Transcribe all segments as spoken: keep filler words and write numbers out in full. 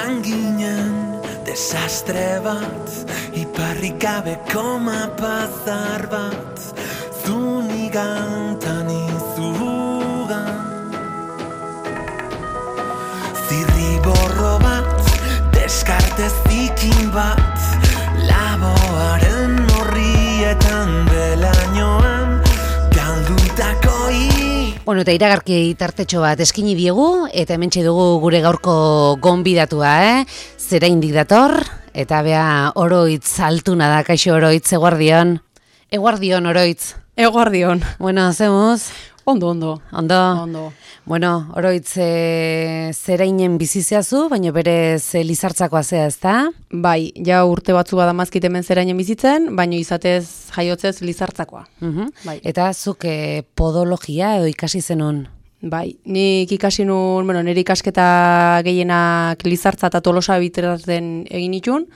izan ginen desastre bat, iparrik gabeko mapazar bat, zunigan tanizugan. Zirriborro bat, deskarte zikin bat, laboaren horrietan belainoan, galdutako i. Bueno, eta iragarki tartetxo bat eskini diegu, eta hementxe dugu gure gaurko gonbidatua, eh? Zera indik dator, eta bea Oroitz altuna da, kaixo Oroitz, eguardion. Eguardion, Oroitz. Eguardion. Bueno, zemuz? Ondo, ondo. Ondo? Ondo. Bueno, Oroitz, e, zera inen bizizeazu, baina berez e, lizartzakoa zea, ez da? Bai, ja urte batzu badamazkit hemen zera inen bizitzen, baina izatez jaiotzez lizartzakoa. Uh-huh. Bai. Eta zuk e, podologia edo ikasi zenun? Bai, nik ikasi nun, bueno, nire ikasketa gehienak Lizartza eta Tolosa biteratzen egin itun,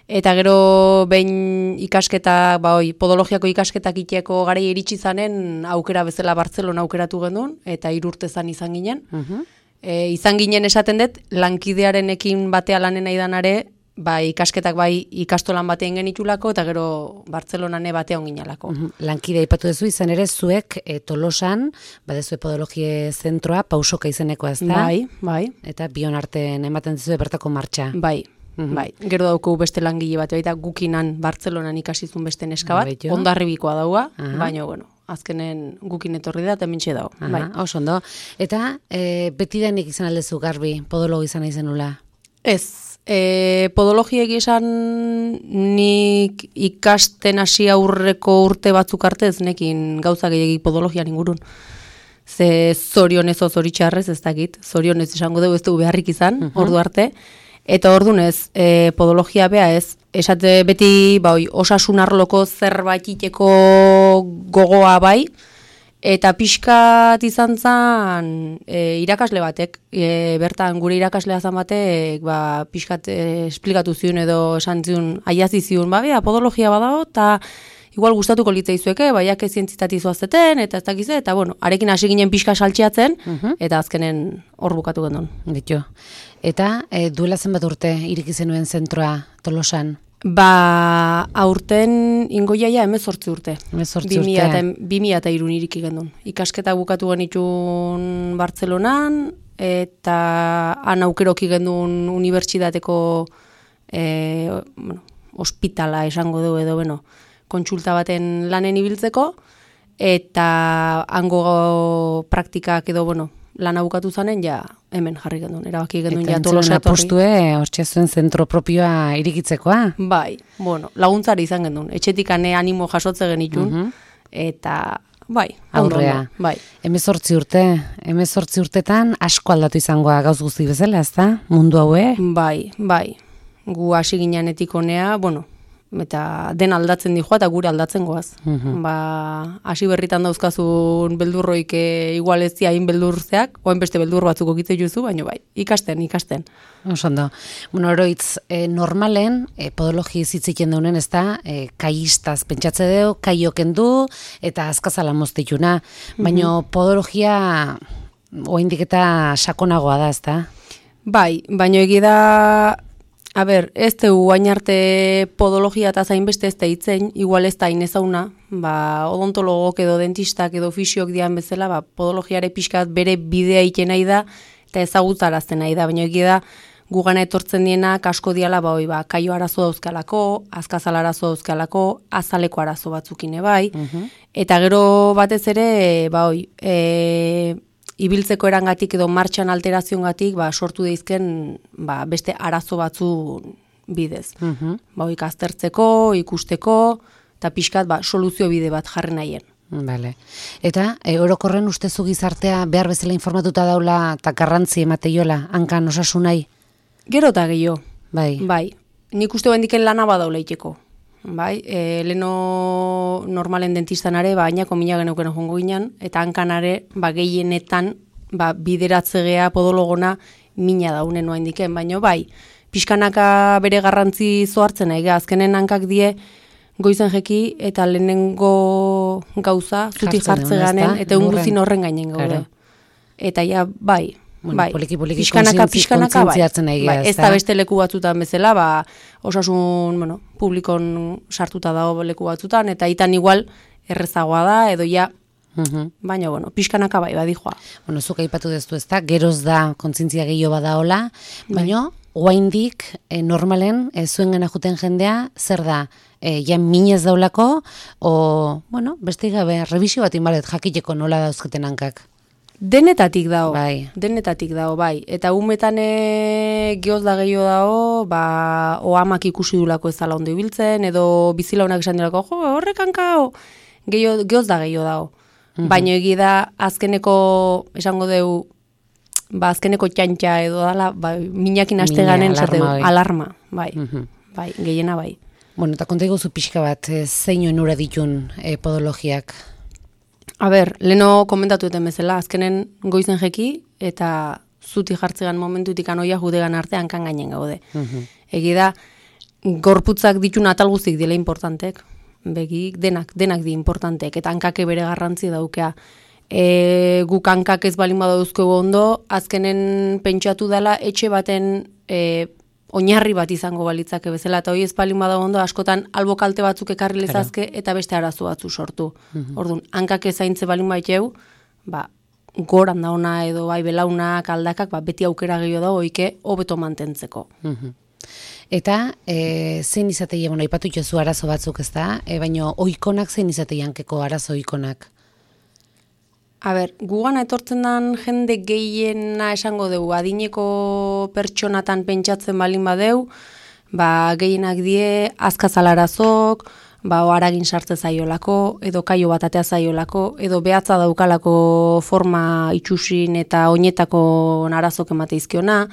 eta gero behin ikasketa, ba hoi, podologiako ikasketak iteko garai iritsi zanen aukera bezala Bartzelona aukeratu genuen, eta hiru urte zan izan ginen. Uh-huh. e, izan ginen esaten dut, lankidearenekin batea lanen aidanare, ba, ikasketak bai ikastolan batean genitulako, eta gero Bartzelonane batea onginalako. Uh-huh. Lankide aipatu duzu izan ere zuek e, Tolosan, badezue podologie zentroa, pausoka izenekoa ez da? Bai, bai. Eta bion artean ematen dizue bertako martxa. Bai. Mhm. Bai, gero dauku beste langile bat, baita gukinan Bartzelonan ikasizun beste neska bat, Beto. Hondarribikoa daua, Aha. baina, bueno, azkenen gukin etorri da eta mintxe dau. Aha, Bai. oso ondo. Eta e, beti denik izan aldezu garbi, podologo izan izenula? Ez, e, podologiek esan nik ikasten hasi aurreko urte batzuk arte ez nekin gauza gehiagik podologian ingurun. Ze zorionez o zoritxarrez ez dakit, zorionez esango dugu ez dugu beharrik izan, Mhm. ordu arte. Eta ordunez, e, podologia bea ez, esate beti ba, oi, osasun arloko zerbait iteko gogoa bai, eta pixkat izan zan e, irakasle batek, e, bertan gure irakaslea zan batek, ba, pixkat e, esplikatu zion edo esan zion, aiazi zion, ba, bea, podologia badago, eta igual gustatuko litzaizueke, baiak ezientzitati zoazeten, eta ez dakize, eta bueno, arekin hasi ginen pixka saltxeatzen, Mhm. eta azkenen hor bukatu gendun. Ditu. Eta e, duela zenbat urte iriki zenuen zentroa Tolosan? Ba, aurten ingoiaia hemezortzi urte. Hemezortzi urte. bi mila eta hiru iriki gendun. Ikasketa bukatu genitun Bartzelonan, eta han aukeroki gendun unibertsitateko e, bueno, ospitala esango du edo, bueno, kontsulta baten lanen ibiltzeko, eta hango praktikak edo, bueno, lana bukatu zanen, ja, hemen jarri gendun, erabaki gendun, ja, Tolosa etorri. Apostue, hortxe zuen zentro propioa irikitzekoa? Bai, bueno, laguntzari izan gendun, etxetik ane animo jasotze genitun, Mhm. eta, bai, ondo, Aurrea. ondo, bai. Hemezortzi urte, hemezortzi urtetan asko aldatu izangoa gauz guzti bezala, ez da? Mundu haue? Bai, bai, gu hasi ginenetik honea, bueno, eta den aldatzen dijoa eta gure aldatzen goaz. Mhm. Ba, hasi berritan dauzkazun beldurroik e, igual ez hain beldurzeak, oen beste beldur batzuk okitze juzu, baina bai, ikasten, ikasten. Oso ondo. Bueno, Oroitz, e, normalen, e, podologi zitziken daunen, ez da, e, kaistaz pentsatze deu, kaioken du, eta azkazala moztituna. Baina podologia oindik eta sakonagoa da, ez da? Bai, baina egi da, a ber, ez dugu hain arte podologia eta zainbeste ez da hitzen, igual ez da inezauna, ba, odontologok edo dentistak edo fisiok dian bezala, ba, podologiare pixkat bere bidea iten nahi da, eta ezagutarazten nahi da, baina egi da, gugana etortzen dienak asko diala, ba, oi, ba, kaio arazo dauzkalako, azkazal arazo dauzkalako, azaleko arazo batzukine bai, Mhm. eta gero batez ere, ba, oi, e, ibiltzeko erangatik edo martxan alterazioengatik ba, sortu deizken ba, beste arazo batzu bidez. Mhm. Ba, oi, aztertzeko, ikusteko, eta pixkat ba, soluzio bide bat jarri nahien. Vale. Eta e, orokorren ustezu gizartea behar bezala informatuta daula eta garrantzi emateiola, hankan osasunai? Gero eta gehiago. Bai. Bai, nik uste bendiken lana badaula iteko. Bai, e, leno normalen dentistanare, ba, ainako mina geneuken jongo ginen, eta hankanare, ba, gehienetan, ba, bideratzegea podologona mina daunen noa indiken, baina bai, pixkanaka bere garrantzi zoartzen nahi, azkenen hankak die, goizen jeki, eta lehenengo gauza, zuti jartze ganen, eta unguzin horren gainen gaude. Eta ja, bai, Bueno, bai. poliki, poliki Pixkanaka, pixkanaka, bai. kontzientziatzen nahi Bai, gara, ez da beste leku batzutan bezala, ba, osasun, bueno, publikon sartuta dago leku batzutan, eta itan igual errezagoa da, edo ja, Mhm. baina, bueno, pixkanaka bai, badijoa. Bueno, zuk aipatu deztu ez da, geroz da kontzientzia gehiago badaola, baina oraindik e, normalen e, zuengana juten jendea, zer da, e, ja minez daulako, o, bueno, beste gabe, revisio bat inbalet jakiteko nola dauzketen hankak. Denetatik dago, Bai. denetatik dago, bai. Eta umetan e, geoz da gehiago dago, ba, oamak ikusi dulako ez dala ondo ibiltzen, edo bizilaunak esan dilako, jo, horrek hankao, geoz da gehiago dago. Mhm. Baina egi da, azkeneko, esango deu, ba, azkeneko txantxa edo dala, ba, minakin aste Mina, ganen, alarma, zerteu, bai. alarma, bai, Mhm. bai, gehiena bai. Bueno, eta konta iguzu pixka bat, e, zein onura ditun e, podologiak? A ber, leno komentatu eten bezala, azkenen goizen jeki, eta zuti jartzegan momentutik anoia judegan artean kan gainen gaude. Mhm. Egi da, gorputzak ditun atal guztik dela importantek, begik denak, denak di importantek, eta hankake bere garrantzi daukea. E, guk hankak ez balin badauzko ondo, azkenen pentsatu dela etxe baten e, oinarri bat izango balitzake bezala, eta hoi ez balin badago ondo, askotan albo kalte batzuk ekarri lezazke, eta beste arazo batzu sortu. Orduan, hankak ez zaintze balin baiteu, ba, goran dauna edo bai belaunak, aldakak, ba, beti aukera gehiago dago, oike, hobeto mantentzeko. Mhm. Eta e, zein izateia, bueno, aipatu jozu arazo batzuk ez da, e, baina oikonak zein izateia hankeko arazo oikonak? A ber, gugana etortzen den jende gehiena esango dugu, adineko pertsonatan pentsatzen balin badeu, ba, gehienak die azkazalarazok, ba, haragin sartze zaiolako, edo kaio bat atea zaiolako, edo behatza daukalako forma itxusin eta oinetako narazok emateizkiona,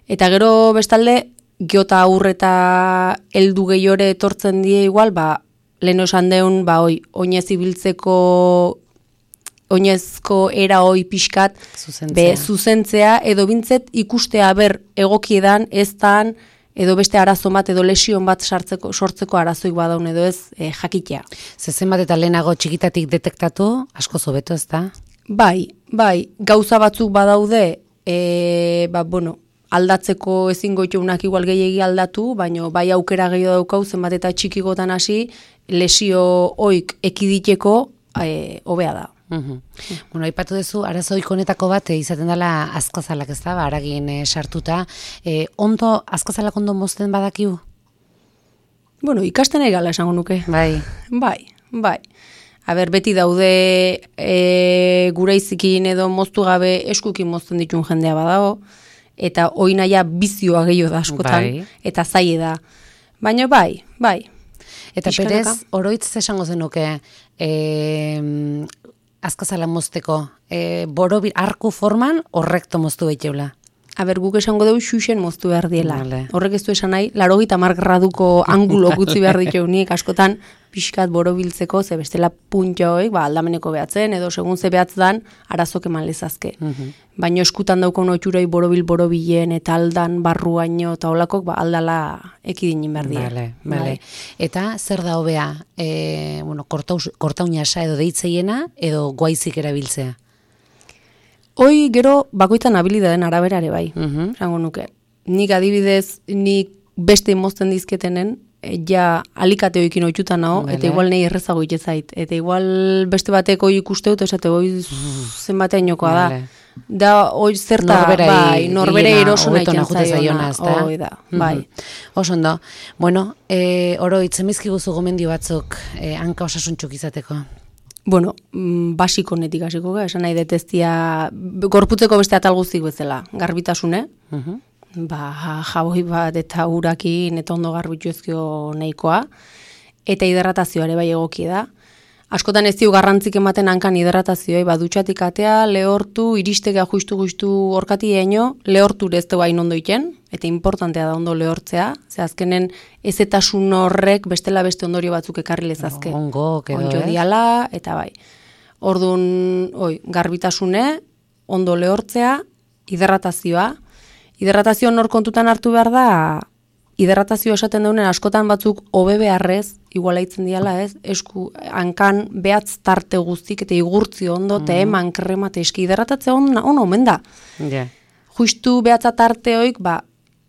eta gero bestalde, geota aurreta heldu gehiore etortzen die igual, ba, lehen esan deun, ba, oi, oinez ibiltzeko oinezko era hoi pixkat Zuzentzea. be, zuzentzea, edo bintzet ikustea ber egokiedan ez dan, edo beste arazo bat, edo lesion bat sartzeko, sortzeko arazoik badaun edo ez e, jakitea. Zezen bat eta lehenago txikitatik detektatu, asko zobeto ez da? Bai, bai, gauza batzuk badaude, e, ba, bueno, aldatzeko ezingo itxunak igual gehiegi aldatu, baina bai aukera gehiago daukau, zenbat eta txikigotan hasi, lesio oik ekiditeko e, hobea da. Mhm. Bueno, aipatu duzu, arazo ikonetako bat e, izaten dela azkazalak ez da, ba, haragin e, sartuta. E, ondo, azkazalak ondo mozten badakiu? Bueno, ikasten egala esango nuke. Bai. Bai, bai. A ber, beti daude e, gure izikin edo moztu gabe eskukin mozten ditun jendea badago, eta oinaia bizioa gehiago da askotan, Bai. eta zaie da. Baina bai, bai. Eta Pixkanaka. perez, oroitz esango zenuke, e, azkazala mozteko, e, borobil arku forman horrekto moztu behiteula. A ber, guk esango dugu xuxen moztu behar diela. Vale. Horrek ez du esan nahi, larogita mar graduko angulo gutzi behar diteunik, askotan pixkat borobiltzeko, ze bestela puntio hoik, ba, aldameneko behatzen, edo segun ze behatzen, arazok eman lezazke. Mhm. Baina eskutan daukon otxuroi borobil-borobilen, eta aldan, barruaino, eta holakok, ba, aldala ekidinin behar dira. Vale, vale. Eta zer da hobea, e, bueno, kortaus- kortaunasa edo deitzeiena, edo guaizik erabiltzea? Hoi gero bakoitzan habilidaden araberare bai, Mhm. esango nuke. Nik adibidez, nik beste mozten dizketenen, e, ja alikate hoikin oitutan nago, Vale. eta igual nahi errezago itezait. Eta igual beste bateko ikuste dut, esate hoi zenbateinokoa da. Vale. Da, hoi zerta, Norberari bai, norbere gehiena, erosuna hobeto itzen najute zaiona, zaiona. ezta? Hoi da, bai. Mhm. Oso ondo. Bueno, e, oro itzemizkiguzu gomendio batzuk e, hanka osasuntxuk izateko. Bueno, mm, basiko netik hasiko ga, esan nahi detestia, gorputzeko beste atal guztik bezala, garbitasune, Mhm. ba, jaboi bat eta urakin eta ondo garbitu ezkio nahikoa, eta hidratazioare bai egoki da. Askotan ez dio garrantzik ematen hankan hidratazioi, ba, dutxatik atea, lehortu, iristega justu-justu orkati eino, lehortu ez du hain ondo iten, eta importantea da ondo lehortzea, ze azkenen ezetasun horrek bestela beste ondorio batzuk ekarri lezazke. Ongo, edo, Onjo ez? diala, eta bai. Orduan, oi, garbitasune, ondo lehortzea, hidratazioa. Hidratazio nor kontutan hartu behar da, hidratazio esaten daunen askotan batzuk hobe beharrez, igualaitzen diala ez, esku, hankan behatz tarte guztik, eta igurtzi ondo, mm. te eman krema, eta eski hidratatzea on, on omen da. Ja. justu behatza tarteoik, ba,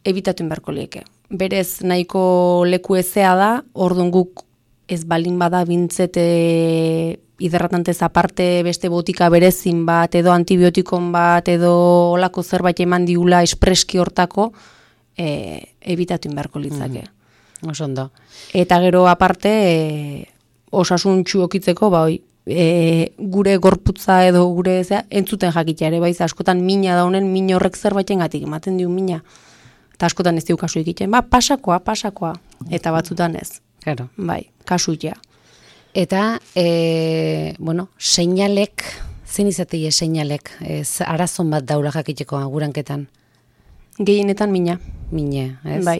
ebitatu inberko lieke. Berez nahiko leku ezea da, orduan guk ez balin bada bintzete hiderratantez aparte beste botika berezin bat, edo antibiotikon bat, edo olako zerbait eman diula espreski hortako, e, ebitatu inberko litzake. Mm. Oso ondo. Eta gero aparte, e, osasuntxu okitzeko, ba, oi, e, gure gorputza edo gure zea, entzuten jakitea ere, baiz, askotan mina daunen, min horrek zerbaiten gatik, ematen diu mina. Eta askotan ez diu kasu egiten, ba, pasakoa, pasakoa, eta batzutan ez. Claro. Bai, kasuia. Eta, e, bueno, seinalek, zein izateie seinalek, ez arazon bat daula jakiteko aguranketan? Gehienetan mina. Mine, ez? Bai,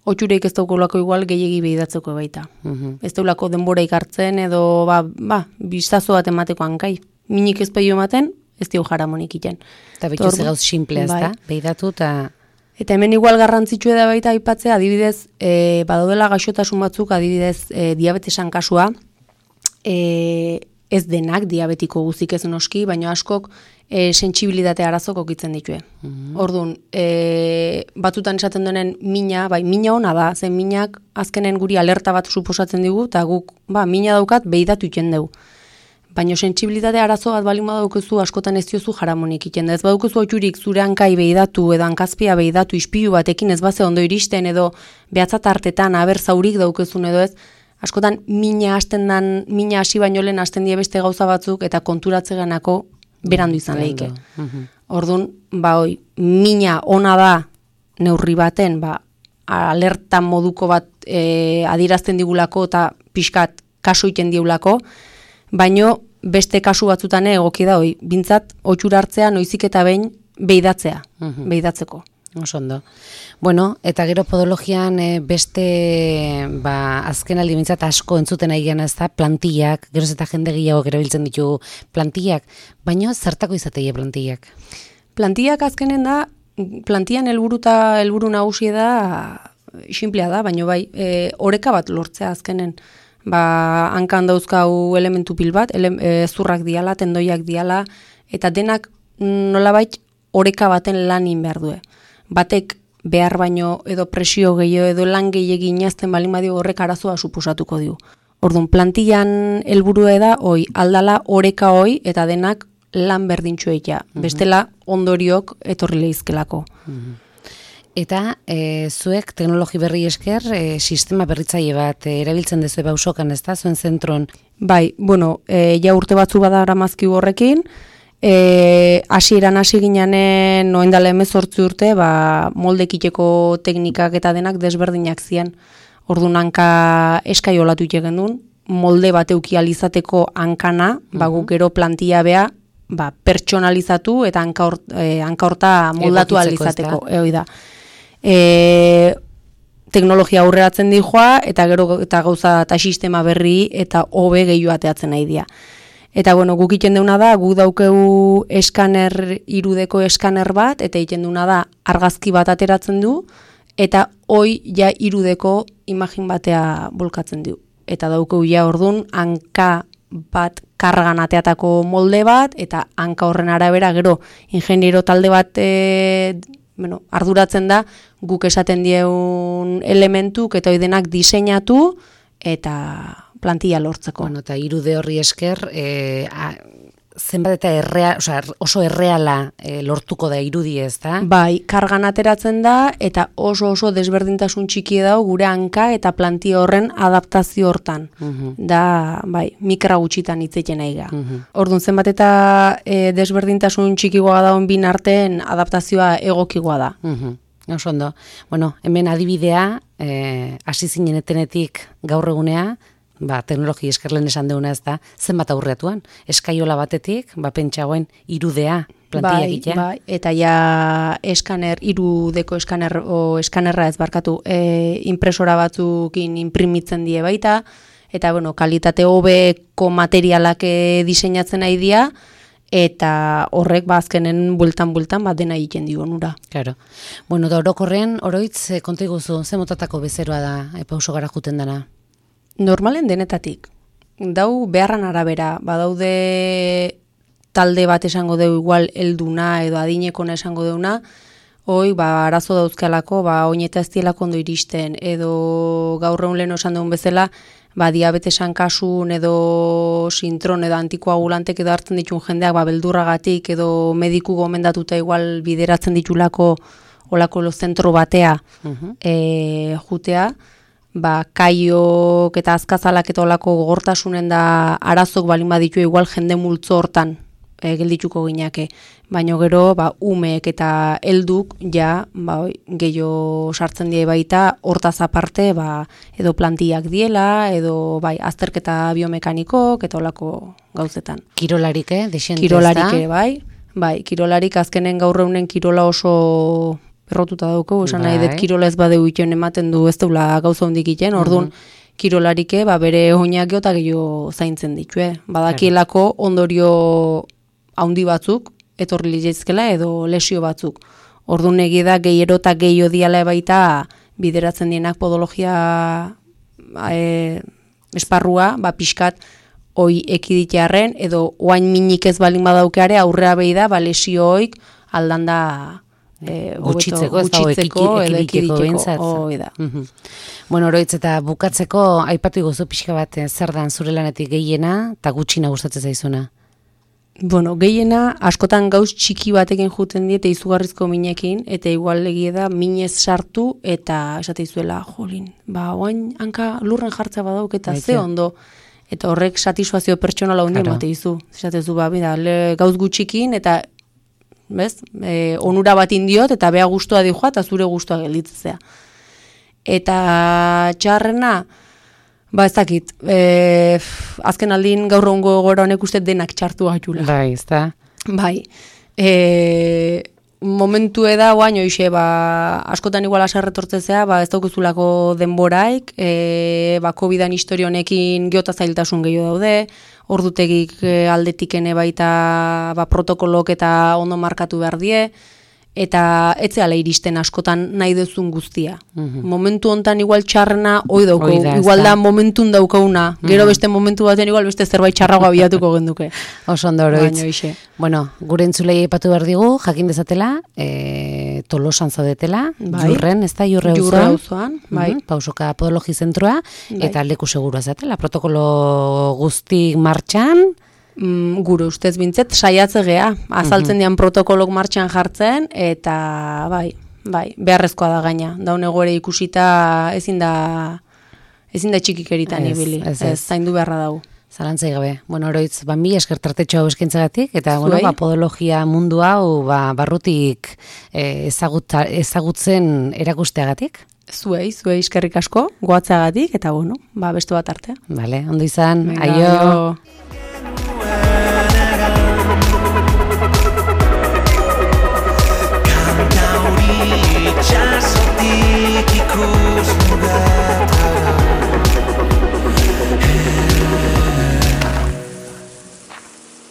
otxureik ez daukolako igual gehiegi behidatzeko baita. Uh-huh. Ez daulako denboraik hartzen edo, ba, ba, biztazo bat emateko hankai. Minik ez behio ematen, ez dio jaramonik iten. Eta betu ze gauz simple, ez da? Bai. Behidatu eta... Eta hemen igual garrantzitsua da baita aipatzea, adibidez, e, badaudela gaixotasun batzuk, adibidez, e, diabetesan kasua, e, ez denak diabetiko guzik ez noski, baina askok e, sentsibilitate arazok okitzen ditue. Mm-hmm. Orduan, e, batutan esaten denen mina, bai, mina ona da, zen minak azkenen guri alerta bat suposatzen digu, eta guk, ba, mina daukat behidatu iten dugu. Baina sentsibilitate arazo bat balin badaukezu askotan ez diozu jaramonik iten da. Ez badaukezu otxurik zure hankai behidatu edo hankazpia behidatu ispilu batekin ez baze ondo iristen edo behatzat hartetan aber zaurik daukezun edo ez, askotan mina hasten dan, mina hasi baino lehen hasten die beste gauza batzuk eta konturatze ganako berandu izan lehike. Orduan, ba hoi, mina ona da neurri baten, ba, alerta moduko bat e, adirazten digulako eta pixkat kasu iten diulako, baino beste kasu batzutan egoki da hoi, bintzat otxura hartzea noizik eta behin behidatzea, uh-huh. behidatzeko. Oso ondo. Bueno, eta gero podologian e, beste, ba, azken aldi bintzat asko entzuten ari gana ez da, plantillak, geroz eta jende gehiago erabiltzen ditu plantillak, baino zertako izateie plantillak? Plantillak azkenen da, plantillan helburuta helburu nagusia da, sinplea da, baino bai, e, oreka bat lortzea azkenen. Ba, hankan dauzkau elementu pil bat, ele, e, zurrak diala, tendoiak diala, eta denak nolabait oreka baten lanin behar due. Batek behar baino edo presio gehiago edo lan gehiegi inazten balin badio horrek arazoa suposatuko diu. Orduan, plantillan helburua da, oi, aldala oreka hoi eta denak lan berdintxu eitea. Uh-huh. Bestela ondoriok etorri lehizkelako. Uh-huh. Eta e, zuek teknologi berri esker e, sistema berritzaile bat e, erabiltzen dezu bausokan, ez da, zuen zentron? Bai, bueno, e, ja urte batzu badara mazki horrekin, e, hasieran hasi ginanen noendala hemezortzi urte, ba, moldekiteko teknikak eta denak desberdinak zian. Orduan hanka eskai olatu itegen duen, molde bat eukializateko hankana, uh-huh. ba, guk gero plantilla bea, ba, pertsonalizatu eta hanka e, horta moldatu alizateko. Eoi da. E, teknologia aurreratzen di joa, eta gero eta gauza eta sistema berri eta hobe gehiago ateatzen nahi dia. Eta bueno, guk iten deuna da, guk daukegu eskaner, irudeko eskaner bat, eta iten deuna da argazki bat ateratzen du, eta hoi ja irudeko imagin batea bolkatzen du. Eta daukegu ja ordun hanka bat kargan ateatako molde bat, eta hanka horren arabera gero ingeniero talde bat e, bueno, arduratzen da guk esaten dieun elementuk eta oidenak diseinatu eta plantilla lortzeko. Bueno, eta irude horri esker e, a, zenbat eta errea, osea, oso erreala e, lortuko da irudi, ez da? Bai, kargan ateratzen da eta oso oso desberdintasun txiki dago gure hanka eta plantilla horren adaptazio hortan. Uh-huh. Da, bai, mikra gutxitan hitzeiten nahi ga. Uh-huh. Orduan zenbat eta e, desberdintasun txikigoa daun bin arteen adaptazioa egokigoa da. Uh-huh. Oso ondo. Bueno, hemen adibidea, eh, hasi zinen etenetik gaur egunea, ba, teknologi eskerlen esan deuna ez da, zenbat aurreatuan. Eskaiola batetik, ba, pentsagoen irudea, plantilla egitea. Bai, bai, eta ja eskaner, irudeko eskaner, o eskanerra ez barkatu, e, impresora batzukin imprimitzen die baita, eta, bueno, kalitate hobeko materialak diseinatzen nahi dia, eta horrek bazkenen bultan-bultan bat dena egiten dio onura. Claro. Bueno, da orokorren, oroitz, konta iguzu, ze motatako bezeroa da, e, pauso gara juten dena? Normalen denetatik. Dau beharran arabera, badaude talde bat esango deu igual helduna edo adinekona esango deuna, hoi, ba, arazo dauzkalako, ba, oineta ez dielako ondo iristen, edo gaur egun lehen osan duen bezala, ba, diabetesan kasun, edo sintron, edo antikoagulantek edo hartzen ditun jendeak, ba, beldurragatik, edo mediku gomendatuta igual bideratzen ditulako olako zentro batea uh-huh. e, jutea, ba, kaiok eta azkazalak eta olako gogortasunen da arazok balin baditu igual jende multzo hortan e, geldituko ginake. Baina gero, ba, umeek eta helduk ja, ba, gehiago sartzen die baita, hortaz aparte, ba, edo plantiak diela, edo bai, azterketa biomekaniko, eta olako gauzetan. Kirolarik, eh? Dexente, Kirolarik ere, bai. Bai, kirolarik azkenen gaur eunen kirola oso errotuta dauko, esan bai. Nahi dut kirola ez badeu iten ematen du ez deula gauza hondik iten, orduan, mm-hmm. kirolarike, ba, bere oinak geota gehiago zaintzen ditu, eh? Badakielako ondorio haundi batzuk, etorri litzezkela edo lesio batzuk. Orduan egi da gehiero eta gehiago diala baita bideratzen dienak podologia e, esparrua, ba pixkat hoi ekiditearren edo oain minik ez balin badaukeare aurrea behi da, ba lesioik aldanda e, gutxitzeko, gutxitzeko edo ekiditeko. Hoi da. Mm-hmm. Bueno, oroitz eta bukatzeko aipatu iguzu pixka bat zer dan zure lanetik gehiena eta gutxina gustatzen zaizuna? Bueno, gehiena, askotan gauz txiki batekin juten diete izugarrizko minekin, eta igual egie da minez sartu, eta esate izuela, jolin, ba, oain hanka lurren jartza badauk, eta Baite. Ze ondo, eta horrek satisfazio pertsonala hundien bate izu. Esate zu, ba, bida, le, gauz gutxikin, eta, bez, e, onura bat indiot, eta bea guztua dihoa, eta zure guztua gelditzea. Eta txarrena, ba ez dakit, e, azken aldin gaur ongo gora honek uste denak txartu gaitula. Bai, ez da. Bai, e, momentu eda, guain, oixe, ba, askotan igual asarretortzezea, ba, ez daukuzulako denboraik, e, ba, kovidan historio honekin geota zailtasun gehiago daude, ordutegik e, aldetikene baita ba, protokolok eta ondo markatu behar die, eta etzeala iristen askotan nahi duzun guztia. Mm-hmm. Momentu hontan igual txarrena hoi dauko, Oida, igual da momentun daukauna, mm-hmm. gero beste momentu baten igual beste zerbait txarragoa bilatuko genduke. Oso ondo oroitz. Bueno, gure entzulei aipatu behar digu, jakin dezatela, e, Tolosan zaudetela, bai. Jurren, ez da, Jurre auzoan. Jurre auzoan, bai. Mm-hmm. Pausoka Podologi Zentroa, bai. Eta leku segurua zatela, protokolo guztik martxan, Mm, gure ustez bintzet, saiatze gea, azaltzen mm-hmm. dian protokolok martxan jartzen, eta bai, bai, beharrezkoa da gaina. Daun egoere ikusita ezin da, ezin da txikikeritan ibili, ez, ez, ez zaindu beharra dago. Zalantzai gabe. Bueno, oroitz, ba, mi eskertartetxo hau eskentzagatik, eta bueno, ba, podologia mundu hau ba, barrutik eh, ezagut, ezagutzen erakusteagatik. Zuei, zuei eskerrik asko, goatzeagatik, eta bueno, ba, beste bat artea. Vale, ondo izan, Venga, aio. aio.